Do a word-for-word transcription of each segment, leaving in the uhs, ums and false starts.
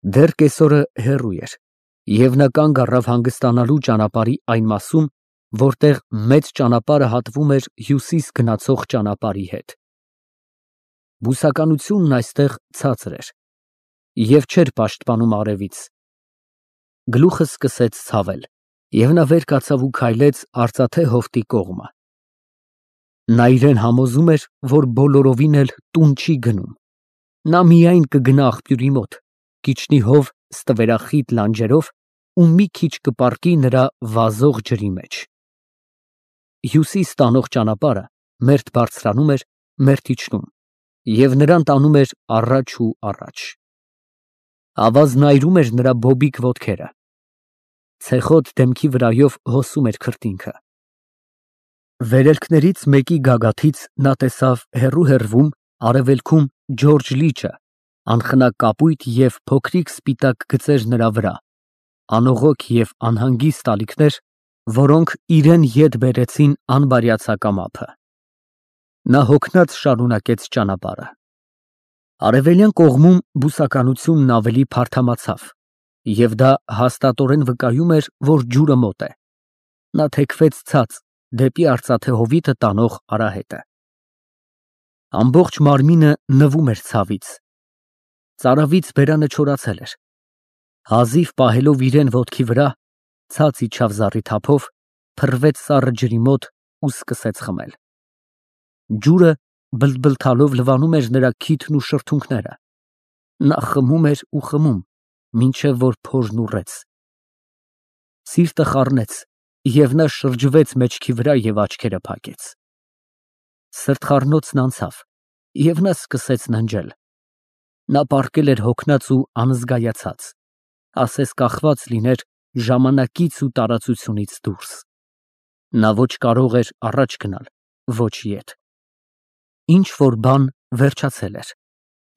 Դեռ կեսօրը հեռու էր, և նա կանգ առավ հանգստանալու ճանապարհի այն մասում, որտեղ մեծ ճանապարհը հատվում էր հյուսիս գնացող ճանապարհի հետ։ Բուսականությունն այստեղ ցածր էր և չէր պաշտպանում արևից։ Գլուխը սկսեց ցավել, և նա վեր կացավ ու քայլեց արծաթե հովտի կողմը։ Նա իրան համոզում էր, որ բոլորովին էլ տուն չի գնում։ Նա միայն կգնա աղբյուրի մոտ, կիջնի հով ստվերախիտ լանջերով ու մի քիչ կպառկի նրա վազող ջրի մեջ։ Հյուսիս տանող ճանապարհը մերթ բարձրանում էր, մերթ իջնում, և նրան տանում էր առաջ ու առաջ։ Ավազն այրում էր նրա բոբիկ ոտքերը։ Ցեխոտ դեմքի վրայով հոսում էր քրտինքը։ Վերելքներից մեկի գագաթից նա տեսավ հեռու֊հեռվում, արևելքում Ջորջը լիճը, անխնա կապույտ և փոքրիկ սպիտակ գծեր նրա վրա, անողոք և անհանգիստ ալիքներ, որոնք իրան ետ բերեցին անբարյացակամ ափը։ Նա հոգնած շարունակեց ճանապարհը։ Արևելյան կողմում բուսականությունն ավելի փարթամացավ, և դա հաստատորեն վկայում էր, որ ջուրը մոտ է։ Նա թեքվեց ցած, դեպի արծաթե հովիտը տանող արահետը։ Ամբողջ մարմինը նվում էր ցավից։ Ծարավից բերանը չորացել էր։ Հազիվ պահելով իրան ոտքի վրա, ցած իջավ զառիթափով, փռվեց սառը ջրի մոտ ու սկսեց խմել։ Ջուրը բլթբլթալով լվանում էր նրա քիթն ու շրթունքները։ Նա խմում էր ու խմում, մինչև որ փորն ուռեց։ Սիրտը խառնեց, և նա շրջվեց մեջքի վրա և աչքերը փակեց։ Սրտխառնոցն անցավ, և նա սկսեց ննջել։ Նա պառկել էր հոգնած ու անզգայացած, ասես կախված լիներ ժամանակից ու տարածությունից դուրս։ Նա ոչ կարող էր առաջ գնալ, ոչ ետ։ Ինչ֊որ բան վերջացել էր,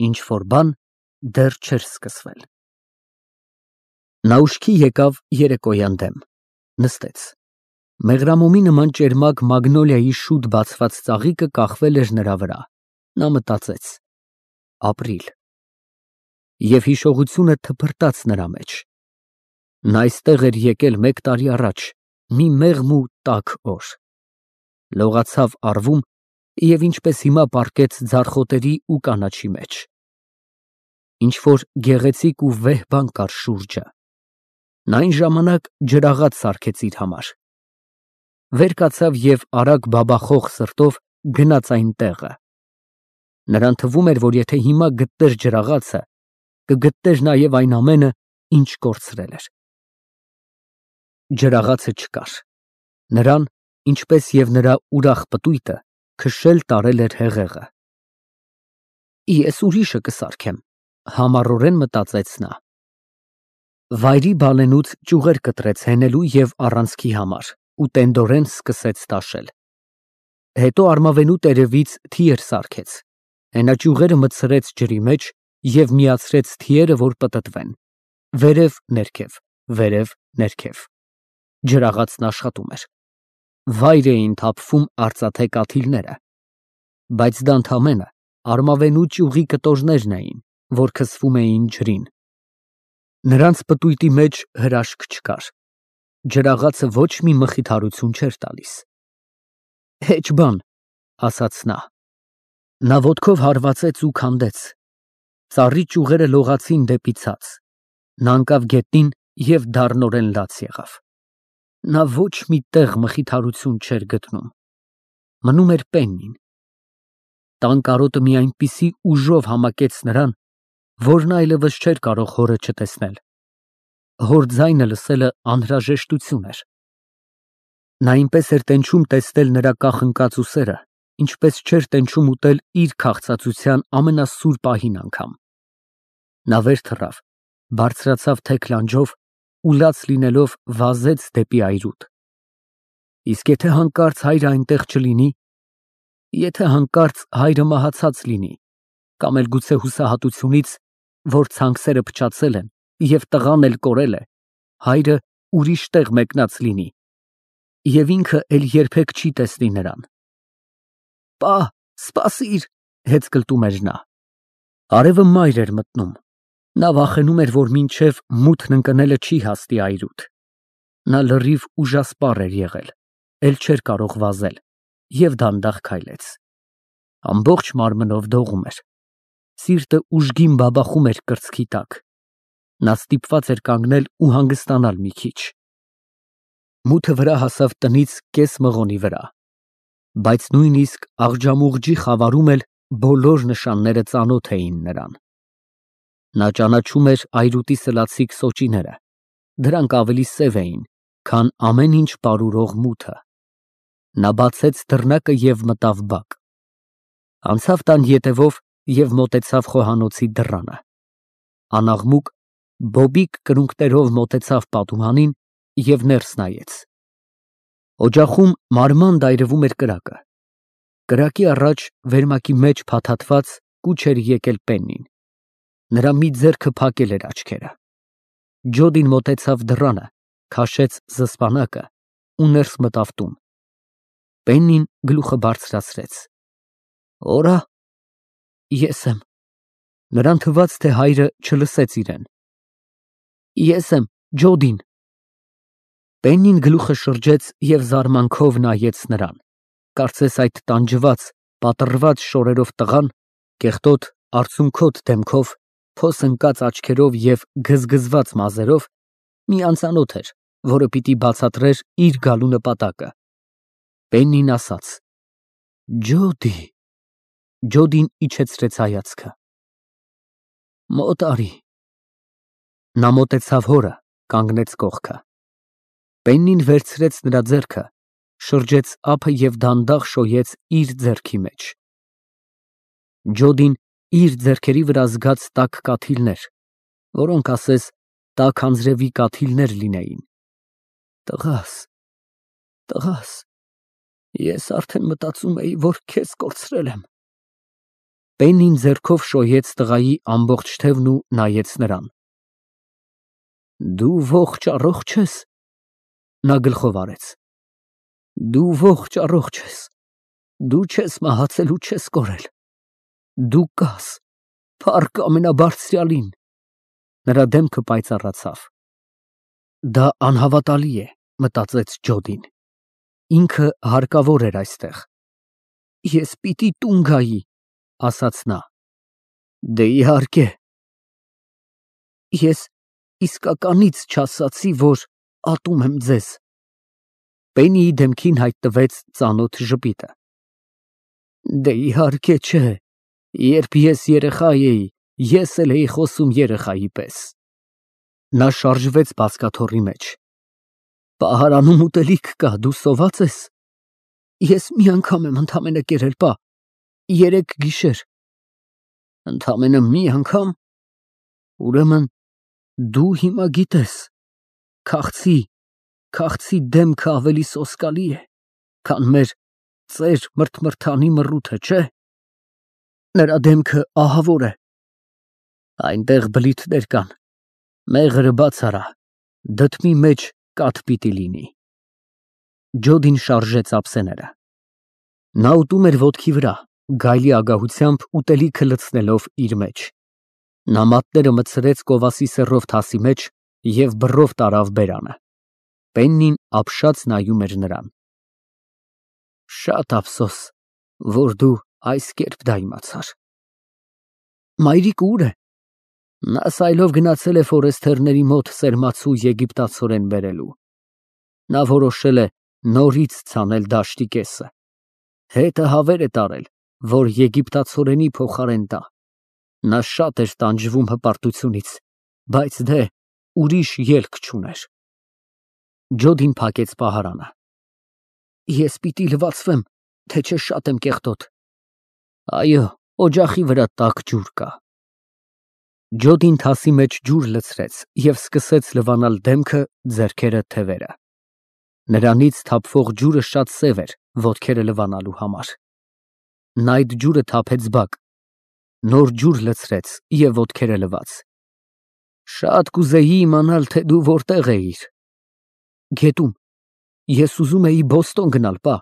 ինչ֊որ բան դեռ չէր սկսվել։ Նա ուշքի եկավ երեկոյան դեմ, նստեց։ Մեղրամոմի նման ճերմակ մագնոլիայի շուտ բացված ծաղիկը կախվել էր նրա վրա։ Նա մտածեց. ապրիլ… Եվ հիշողությունը թփրտաց նրա մեջ։ Նա այստեղ էր եկել մեկ տարի առաջ, մի մեղմ ու տաք օր։ Լողացավ առվում և ինչպես հիմա պառկեց ձարխոտերի ու կանաչի մեջ։ Ինչ֊որ գեղեցիկ ու վեհ բան կար շուրջը։ Նա այն ժամանակ ջրաղաց սարքեց իր համար։ Վեր կացավ և արագ բաբախող սրտով գնաց այն տեղը։ Նրան թվում էր, որ եթե հիմա գտներ ջրաղացը, կգտներ նաև այն ամենը, ինչ կորցրել էր։ Ջրաղացը չկար։ Նրան, ինչպես և նրա ուրախ պտույտը, քշել տարել էր հեղեղը։ Ես ուրիշը կսարքեմ, համառորեն մտածեց նա։ Վայրի բալենուց ճյուղեր կտրեց հենելու և առանցքի համար ու տենդորեն սկսեց տաշել։ Հետո արմավենու տերևից թիեր սարքեց, հենաճյուղերը մտցրեց ջրի մեջ և միացրեց թիերը, որ պտտվեն, վերև֊ներքև, վերև֊ներքև։ Ջրաղացն աշխատում էր։ Վայր էին թափվում արծաթե կաթիլները, բայց դա ընդամենը արմավենու ճյուղի կտորներն էին, որ քսվում էին ջրին։ Նրանց պտույտի մեջ հրաշք չկար։ Ջրաղացը ոչ մի մխիթարություն չէր տալիս։ Հեչ բան, ասաց նա։ Նա ոտքով հարվածեց ու քանդեց։ Ծառի ճյուղերը լողացին դեպի ցած։ Նա ընկավ գետնին և դառնորեն լաց եղավ։ Նա ոչ մի տեղ մխիթարություն չէր գտնում։ Մնում էր պեննին։ Տան կարոտը մի այնպիսի ուժով համակեց նրան, որ նա այլևս չէր կարող հորը չտեսնել։ Հոր ձայնը լսելը անհրաժեշտություն էր։ Նա այնպես էր տենչում տեսնել նրա կախնկած ուսերը, ինչպես չէր տենչում ուտել իր քաղցածության ամենասուր պահին անգամ։ Նա վեր թռավ, բարձրացավ թեք լանջով ու լաց լինելով վազեց դեպի այրուտ։ Իսկ եթե հանկարծ հայրը այնտեղ չլինի։ Եթե հանկարծ հայրը մահացած լինի, կամ էլ գուցե հուսահատությունից, որ ցանքսերը փչացել են և տղան էլ կորել է, հայրը ուրիշ տեղ մեկնած լինի, և ինքը էլ երբեք չի տեսնի նրան։ Պա, սպասիր, հեծկլտում էր նա։ Արևը մայր էր մտնում։ Նա վախենում էր, որ մինչև մութն ընկնելը չի հասնի այրուտ։ Նա լրիվ ուժասպառ էր եղել, էլ չէր կարող վազել և դանդաղ քայլեց։ Ամբողջ մարմնով դողում էր, սիրտը ուժգին բաբախում էր կրծքի տակ։ Նա ստիպված էր կանգնել ու հանգստանալ մի քիչ։ Մութը վրա հասավ տնից կես մղոնի վրա, բայց նույնիսկ աղջամուղջի խավարում էլ բոլոր նշանները ծանոթ էին նրան։ Նա ճանաչում էր այրուտի սլացիկ սոճիները, դրանք ավելի սև էին, քան ամեն ինչ պարուրող մութը։ Նա բացեց դռնակը և մտավ բակ։ Անցավ տան ետևով և մոտեցավ խոհանոցի դռանը։ Անաղմուկ, բոբիկ կրունկներով մոտեցավ պատուհանին և ներս նայեց։ Օջախում մանր-մանր այրվում էր կրակը։ Կրակի առաջ վերմակի մեջ փաթաթված կուչ էր եկել Պեննին։ Նրա մի ձեռքը փակել էր աչքերը։ Ջոդին մոտեցավ դռանը, քաշեց զսպանակը ու ներս մտավ տուն։ Պեննին գլուխը բարձրացրեց։ Օրա։ Ես եմ։ Նրան թվաց, թե հայրը չլսեց իրեն։ Ես եմ, Ջոդին։ Պեննին գլուխը շրջեց և զարմանքով նայեց նրան, կարծես այդ տանջված, պատռված շորերով տղան, կեղտոտ, արցունքոտ դեմքով, փոս ընկած աչքերով և գզգզված մազերով մի անծանոթ էր, որը պիտի բացատրեր իր գալու նպատակը։ Պեննին ասաց. Ջոդի։ Ջոդին իջեցրեց հայացքը։ Մոտ արի։ Նա մոտեցավ հորը, կանգնեց կողքը։ Պեննին վերցրեց նրա ձեռքը, շրջեց ափը և դանդաղ շոյեց իր ձեռքի մեջ։ Ջոդին իր ձեռքերի վրա զգաց տաք կաթիլներ, որոնք ասես տաք անձրևի կաթիլներ լինեին։ Տղա՛ս, տղա՛ս, ես արդեն մտածում էի, որ քեզ կորցրել եմ։ Պեննին ձեռքով շոյեց տղայի ամբողջ թևն ու նայեց նրան։ Դու ողջ առողջ ես։ Նա գլխով արեց։ Դու ողջ առողջ ես։ Դու չես մահացել ու չես կորել։ Դու կաս, փառք ամենաբարձրյալին։ Նրա դեմքը պայծառացավ։ Դա անհավատալի է, մտածեց Ջոդին։ Ինքը հարկավոր էր այստեղ։ Ես պիտի տուն գայի, ասաց նա։ Դե իհարկե։ Ես իսկականից չասացի, որ ատում եմ ձեզ։ Պեննիի դեմքին հայտնվեց ծանոթ ժպիտը։ Դե իհարկե չէ, երբ ես երեխա էի, ես էլ էի խոսում երեխայի պես։ Նա շարժվեց բազկաթոռի մեջ։ Պահարանում ուտելիք կա, դու սոված ես։ Ես մի անգամ եմ ընդամենը կերել, պա, երեկ գիշեր։ Ընդամենը մի անգամ։ Ուրեմն դու հիմա գիտես, քաղցի, քաղցի դեմքը ավելի սոսկալի է, քան մեր ծեր մրթմրթանի մռութը, չէ։ Նրա դեմքը ահավոր է։ Այնտեղ բլիթներ կան, մեղրը բաց արա, դդմի մեջ կաթ պիտի լինի։ Ջոդին շարժեց ափսեները։ Նա ուտում էր ոտքի վրա, գայլի ագահությամբ ուտելիքը լցնելով իր մեջ։ Նա մատները մտցրեց կովասի սեռով թասի մեջ և բռով տարավ բերանը։ Պեննին ապշած նայում էր նրան։ Շատ ափսոս, որ դու այս կերպ դա իմացար։ Մայրիկը ուր է։ Նա սայլով գնացել է ֆորեստերների մոտ սերմացու եգիպտացորեն բերելու։ Նա որոշել է նորից ցանել դաշտի կեսը։ Հետը հավեր է տարել, որ եգիպտացորենի փոխարեն տա։ Նա շատ էր տանջվում հպարտությունից, բայց դե ուրիշ ելք չուներ։ Ջոդին փակեց պահարանը։ Ես պիտի լվացվեմ, թե չէ շատ եմ կեղտոտ։ Այո, օջախի վրա տաք ջուր կա։ Ջոդին թասի մեջ ջուր լցրեց և սկսեց լվանալ դեմքը, ձեռքերը, թևերը։ Նրանից թափվող ջուրը շատ սև էր ոտքերը լվանալու համար։ Նա այդ ջուրը թափեց բակ, նոր ջուր լցրեց և ոտքերը լվաց։ Շատ կուզեի իմանալ, թե դու որտեղ էիր։ Գետում։ Ես ուզում էի Բոստոն գնալ, պա։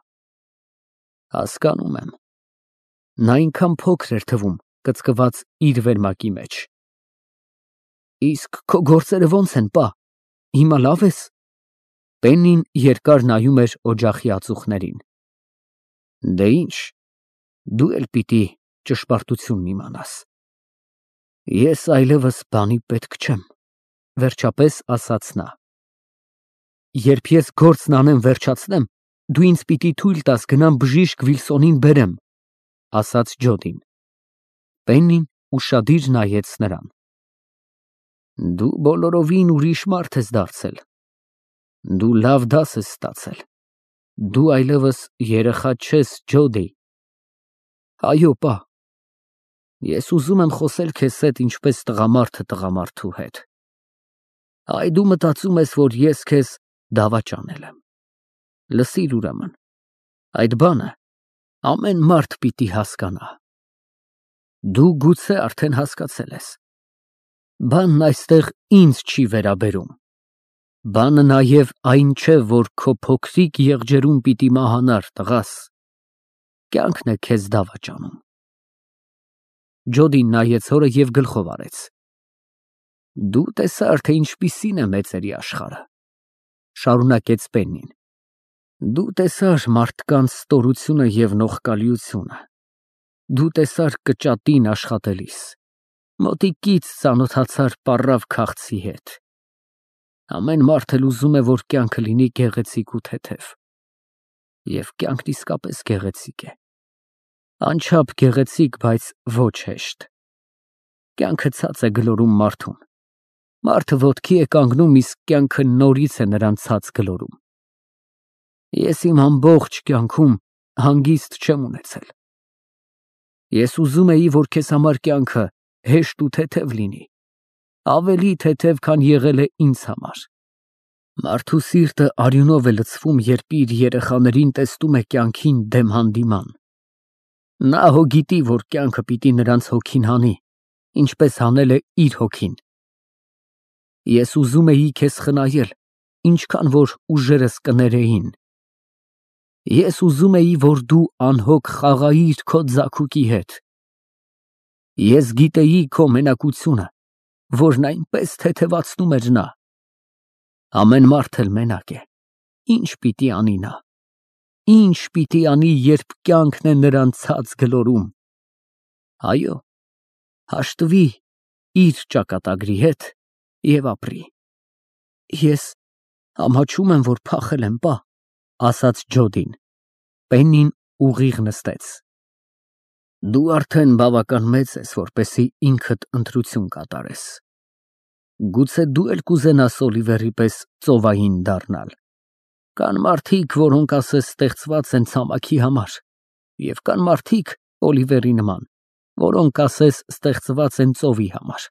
Հասկանում եմ։ Նա այնքան փոքր էր թվում, կծկված իր վերմակի մեջ։ Իսկ քո գործերը ո՞նց են, պա։ Հիմա լավ ես։ Պեննին երկար նայում էր օջախի ածուխներին։ Դե ինչ, դու էլ պիտի ճշմարտությունն իմանաս։ Ես այլևս բանի պետք չեմ, վերջապես ասաց նա։ Երբ ես գործն անեմ վերջացնեմ, դու ինձ պիտի թույլ տաս գնամ բժիշկ Վիլսոնին բերեմ, ասաց Ջոդին։ Պեննին ուշադիր նայեց նրան։ Դու բոլորովին ուրիշ մարդ ես դարձել։ Դու լավ դաս ես ստացել։ Դու այլևս երեխա չես, Ջոդի։ Այո, պա։ Ես ուզում եմ խոսել քեզ հետ ինչպես տղամարդը տղամարդու հետ։ Այ դու մտածում ես, որ ես քեզ դավաճանել եմ։ Լսիր ուրեմն, այդ բանը ամեն մարդ պիտի հասկանա։ Դու գուցե արդեն հասկացել ես։ Բանն այստեղ ինձ չի վերաբերում։ Բանը նաև այն չէ, որ քո փոքրիկ եղջերուն պիտի մահանար, տղաս։ Կյանքն է քեզ դավաճանում։ Ջոդին նայեց հորը և գլխով արեց։ Դու տեսար, թե ինչպիսին է մեծերի աշխարհը, շարունակեց Պեննին։ Դու տեսար մարդկանց ստորությունը և նողկալիությունը։ Դու տեսար կճատին աշխատելիս, մոտիկից ծանոթացար պառավ քաղցի հետ։ Ամեն մարդ էլ ուզում է, որ կյանքը լինի գեղեցիկ ու թեթև։ Եվ կյանքն իսկապես գեղեցիկ է։ Անչափ գեղեցիկ, բայց ոչ հեշտ։ Կյանքը ցած է գլորում մարդուն։ Մարդը ոտքի է կանգնում, իսկ կյանքը նորից է նրան ցած գլորում։ Ես իմ ամբողջ կյանքում հանգիստ չեմ ունեցել։ Ես ուզում էի, որ քեզ համար կյանքը հեշտ ու թեթև լինի, ավելի թեթև, քան եղել է ինձ համար։ Մարդու սիրտը արյունով է լցվում, երբ իր երեխաներին տեսնում է կյանքին դեմ հանդիման։ Նա հո գիտի, որ կյանքը պիտի նրանց հոգին հանի, ինչպես հանել է իր հոգին։ Ես ուզում էի քեզ խնայել, ինչքան որ ուժերս կներեին։ Ես ուզում էի, որ դու անհոգ խաղայիր քո ձագուկի հետ։ Ես գիտեի քո մենակությունը, որն այնպես թեթևացնում էր նա։ Ամեն մարդ էլ մենակ է։ Ինչ պիտի անի նա։ Ինչ պիտի անի, երբ կյանքն է նրան ցած գլորում։ Այո, հաշտվի իր ճակատագրի հետ և ապրի։ Ես ամաչում եմ, որ փախել եմ, պա, ասաց Ջոդին։ Պեննին ուղիղ նստեց։ Դու արդեն բավական մեծ ես, որպեսզի ինքդ ընտրություն կատարես։ Գուցե դու էլ կուզենաս Օլիվերի պես ծովային դառնալ։ Կան մարդիկ, որոնք ասես ստեղծված են ցամաքի համար, և կան մարդիկ, Օլիվերի նման, որոնք ասես ստեղծված են ծովի համար։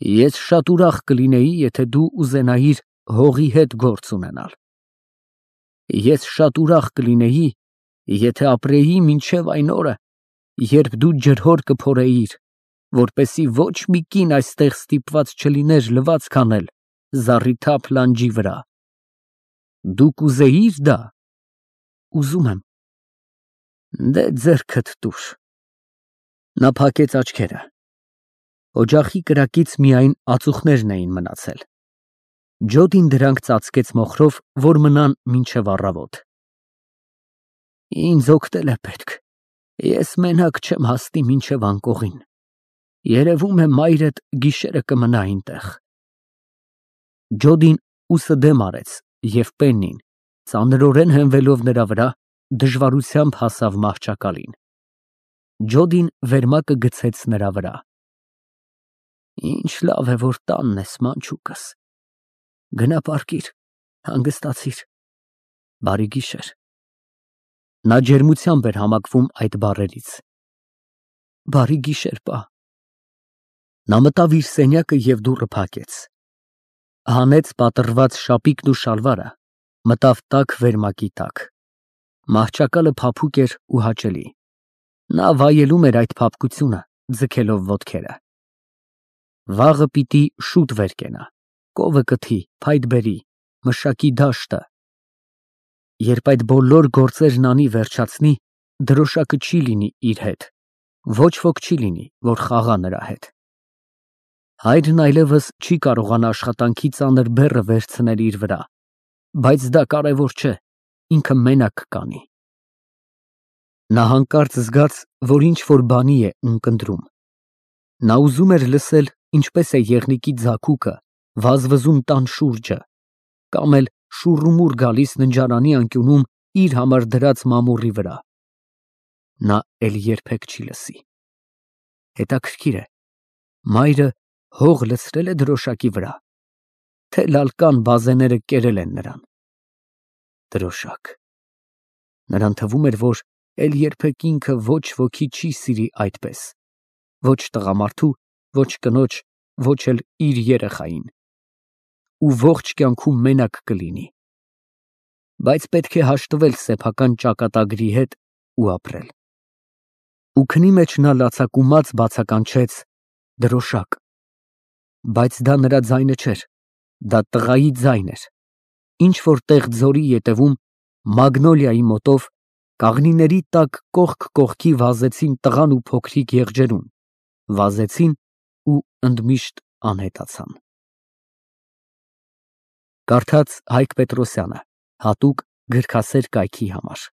Ես շատ ուրախ կլինեի, եթե դու ուզենայիր հողի հետ գործ ունենալ։ Ես շատ ուրախ կլինեի, եթե ապրեի մինչև այն օրը, երբ դու ջրհոր կփորեիր, որպեսզի ոչ մի կին այստեղ ստիպված չլիներ լվացք անել զառիթափ լանջի վրա։ Դու կուզեիր դա։ Ուզում եմ։ Դե ձեռքդ տուր։ Նա փակեց աչքերը։ Օջախի կրակից միայն ածուխներն էին մնացել։ Ջոդին դրանք ծածկեց մոխրով, որ մնան մինչև առավոտ։ Ինձ օգնել է պետք։ Ես մենակ չեմ հասնի մինչև անկողին։ Երևում է մայրդ գիշերը կմնա այնտեղ։ Ջոդին ուսը դեմ արեց, և Պեննին, ծանրորեն հենվելով նրա վրա, դժվարությամբ հասավ մահճակալին։ Ջոդին վերմակը գցեց նրա վրա։ Ինչ լավ է, որ տանն ես, մանչուկս։ Գնա պառկիր, հանգստացիր։ Բարի գիշեր։ Նա ջերմությամբ էր համակվում այդ բառերից։ Բարի գիշեր, պա։ Նա մտավ իր սենյակը և դուռը փակեց։ Հանեց պատռված շապիկն ու շալվարը, մտավ տաք վերմակի տակ։ Մահճակալը փափուկ էր ու հաճելի։ Նա վայելում էր այդ փափկությունը, ձգելով ոտքերը։ Վաղը պիտի շուտ վեր կենա, կովը կթի, փայտ բերի, մշակի դաշտը։ Երբ այդ բոլոր գործերն անի վերջացնի, դրոշակը չի լինի իր հետ, ոչ ոք չի լինի, որ խաղա նրա հետ։ Հայրն այլևս չի կարողանա աշխատանքի ծանր բեռը վերցնել իր վրա, բայց դա կարևոր չէ, ինքը մենակ կանի։ Նա հանկարծ զգաց, որ ինչ-որ բանի է ունկնդրում։ Նա ուզում էր լսել, ինչպես է եղնիկի ձագուկը վազվզում տան շուրջը, կամ էլ շուռումուռ գալիս ննջարանի անկյունում իր համար դրած մամուռի վրա։ Նա էլ երբեք չի լսի։ Հետաքրքիր է, մայրը հող լցրել է դրոշակի վրա, թե լալկան բազեները կերել են նրան։ Դրոշակ։ Նրան թվում էր, որ էլ երբեք ինքը ոչ ոքի չի սիրի այդպես, ոչ տղամարդու, ոչ կնոջ, ոչ էլ իր երեխային, ու ողջ կյանքում մենակ կլինի, բայց պետք է հաշտվել սեփական ճակատագրի հետ ու ապրել։ Ու քնի մեջ նա լացակումած բացականչեց. դրոշակ, բայց դա նրա ձայնը չէր, դա տղայի ձայն էր, ինչ-որ տեղ ձորի ետևում, մագնոլիայի մոտով, կաղնիների տակ կողք կողքի վազեցին տղան ու փոքրիկ եղջերուն, վազեցին ու ընդմիշտ անհետացան։ Կարդաց Հայկ Պետրոսյանը, հատուկ գրքասեր կայքի համար։